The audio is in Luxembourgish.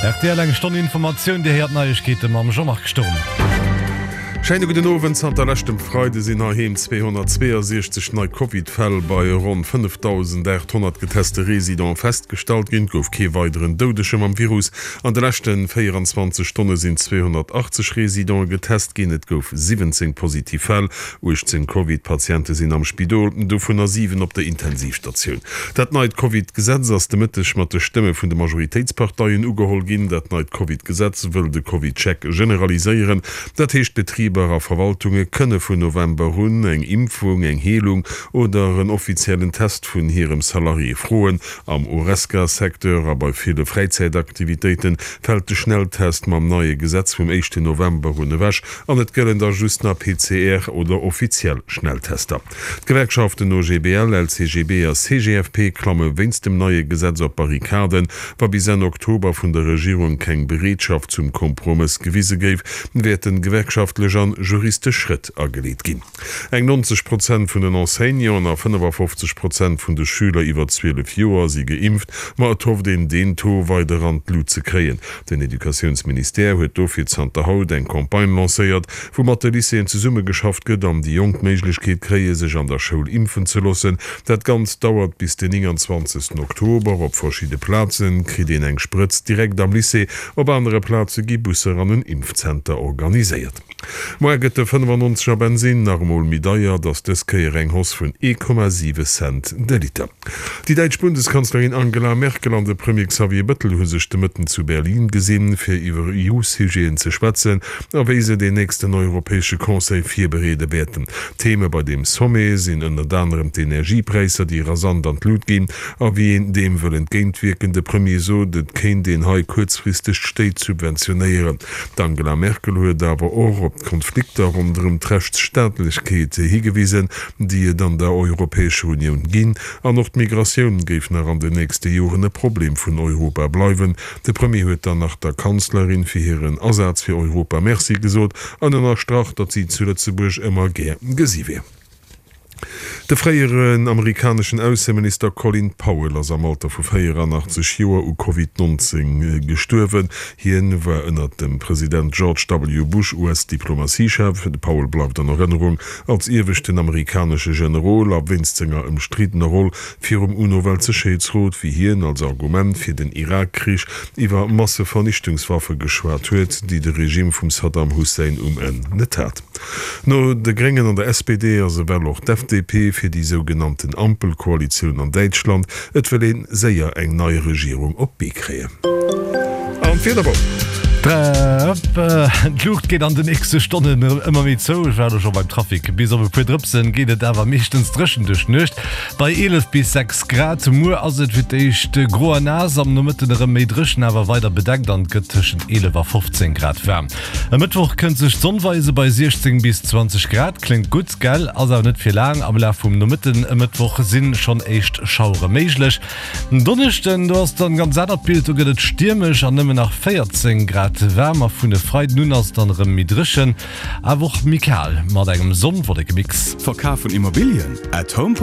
Rtl eng Stonn Informatioun, Dir héiert d'Neiegkeete mam Jean-Marc Sturm. Schéine gudden Owend. Zanter leschtem Freide sinn heiheem 262 nei Covid-Fäll bei ronn 5.800 geteste Residente festgestallt ginn. Et gouf kee weideren Doudege mam Virus. An de leschte 24 Stonne sinn 280 Residente getest ginn. Et gouf 17 positiv Fäll. 18 Covid-Patiente sinn am Spidol, dovunner 7 op der Intensivstatioun. Dat neit Covid-Gesetz ass de Mëtteg mat de Stëmme vun de Majoritéitsparteien ugeholl ginn. Dat neit Covid-Gesetz wëll de Covid-Check generaliséieren. Dat heescht, Betriber a Verwaltunge kënne vun November un eng Impfung, eng Heelung oder en offiziellen Test vun hirem Salarié froen. Am Horesca-Secteur a bei ville Fräizäitaktivitéite fält de Schnelltest mam neie Gesetz vum éischten November un ewech an et gëllen da just nach PCR oder offiziell Schnelltester. D'Gewerkschaften OGBL, LCGB a CGFP klamme wéinst dem neie Gesetz op d'Barrikaden. Wa bis Enn Oktober vun der Regierung keng Bereetschaft zum Kompromëss gewise géif, wäerten gewerkschaftlech an juristesch Schrëtt ageleet ginn. Eng 90 Prozent vun den Enseignanten a 55 Prozent vun de Schüler iwwer 12 Joer si geimpft, ma et hofft een deen Taux weider an d'Lut ze kréien. Den Educatiounsministère huet dofir zanter haut eng Campagne lancéiert, wou mat de Lycéeën zesummegeschafft gëtt an déi Jonk d'Méiglechkeet kréie sech an der Schoul impfen ze loossen. Dat Ganzt dauert bis den 29 Oktober. Op verschidde Plaze kritt een eng Sprëtz direkt am Lycée, op anere Plaze gi Busser an en Impfzenter organiséiert. Moar gëtt de 95 er Bensinn nach emol méi deier, et ass dës Kéier eng Hausse vun 1,7 Cent de Liter. Déi däitsch Bundeskanzlerin Angela Merkel an de Premier Xavier Bëttel hu sech de Mëtten zu Berlin gesinn, fir iwwer EU-Sujeten ze schwätzen a wéi se deen nächsten Europäesche Conseil virbereede wäerten. Theme bei deem Sommet sinn ënnert anerem d'Energiepräisser, déi rasant an d'Lut ginn, a wéi een deem wëll entgéintwierken. De Premier sot, et kéint een hei kuerzfristeg d'Stéit subventionéieren. D'Angela Merkel huet awer och op d'Konflikter ronderëm d'Rechtsstaatlechkeet higewisen, déi et an der Europäescher Unioun ginn, an och d'Migratioun géif nach an den nächste Joren e Problem vun Europa bleiwen. De Premier huet dann nach der Kanzlerin fir hiren Asaz fir Europa Merci gesot an ënnerstrach, datt si zu Lëtzebuerg ëmmer gär gesi wier. De fréieren amerikaneschen Ausseminister Colin Powell ass am Alter vu 84 Joer u Covid 19 gestuerwen. Hien war ënnert dem President George W. Bush US-Diplomatiechef. De Powell bleift an Erënnerung als ieweschten amerikanesche Generol a wéinst senger ëmstriddener Roll virum UNO-Weltsécherheetsrot, wéi hien als Argument fir den Irak-Krich iwwer Massevernichtungswaffe geschwat huet, déi de Regime vum Saddam Hussein um Enn net hat. No de Gréngen an der SPD ass ewell och d'FDP fir déi sougenannten Ampelkoalitioun an Däitschland. Et wëll een séier eng nei Regierung op d'Bee kréien. An d'Wieder wou? D'Luucht geet an de nächste Stonnen ëmmer méi zou. Ech war elo scho beim Trafic. Bis op e puer Drëpsen geet et awer meeschtens dréchen duerch d'Nuecht bei 11 bis 6 Grad. Muer ass et fir d'éischt gro a naass, am Nomëtten erëm méi dréchen, awer weider bedeckt an et gëtt tëschent 11 a 15 Grad waarm. E Mëttwoch kënnt sech d'Sonn weise bei 16 bis 20 Grad. Kléngt gutt, gell? Ass awer net fir laang. Am Laf vum Nomëtten e Mëttwoch si schonn éischt Schauere méiglech. En Donneschden, do ass dann ganz anert Bild, do gëtt et stiermesch an nëmmen nach 14 Grad waarm a vun e Freiden un ass et dann erëm méi dréchen, awer och méi kal mat engem Sonn-Wolleke-Mix. Verkaf vun Immobilien? At home.